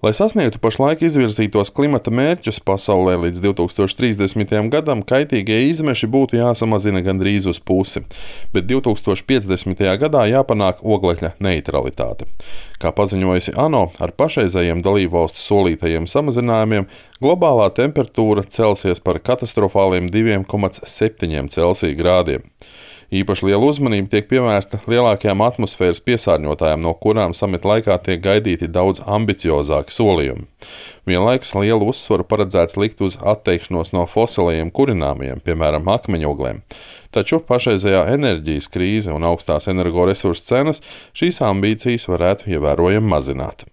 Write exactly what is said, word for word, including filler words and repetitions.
Lai sasniegtu pašlaik izvirzītos klimata mērķus pasaulē līdz divi tūkstoši trīsdesmitajam gadam, kaitīgie izmeši būtu jāsamazina gandrīz uz pusi, bet divi tūkstoši piecdesmitajā gadā jāpanāk oglekļa neitralitāte. Kā paziņojusi ANO, ar pašreizējiem dalībvalstu solītajiem samazinājumiem globālā temperatūra celsies par katastrofāliem diviem komats septiņiem Celsija grādiem. Īpaši liela uzmanība tiek pievērsta lielākajām atmosfēras piesārņotājām, no kurām samita laikā tiek gaidīti daudz ambiciozāki solījumi. Vienlaikus lielu uzsvaru paredzēts likt uz atteikšanos no fosilajiem kurināmiem, piemēram, akmeņoglēm. Taču pašreizējā enerģijas krīze un augstās energoresursu cenas šīs ambīcijas varētu ievērojami mazināt.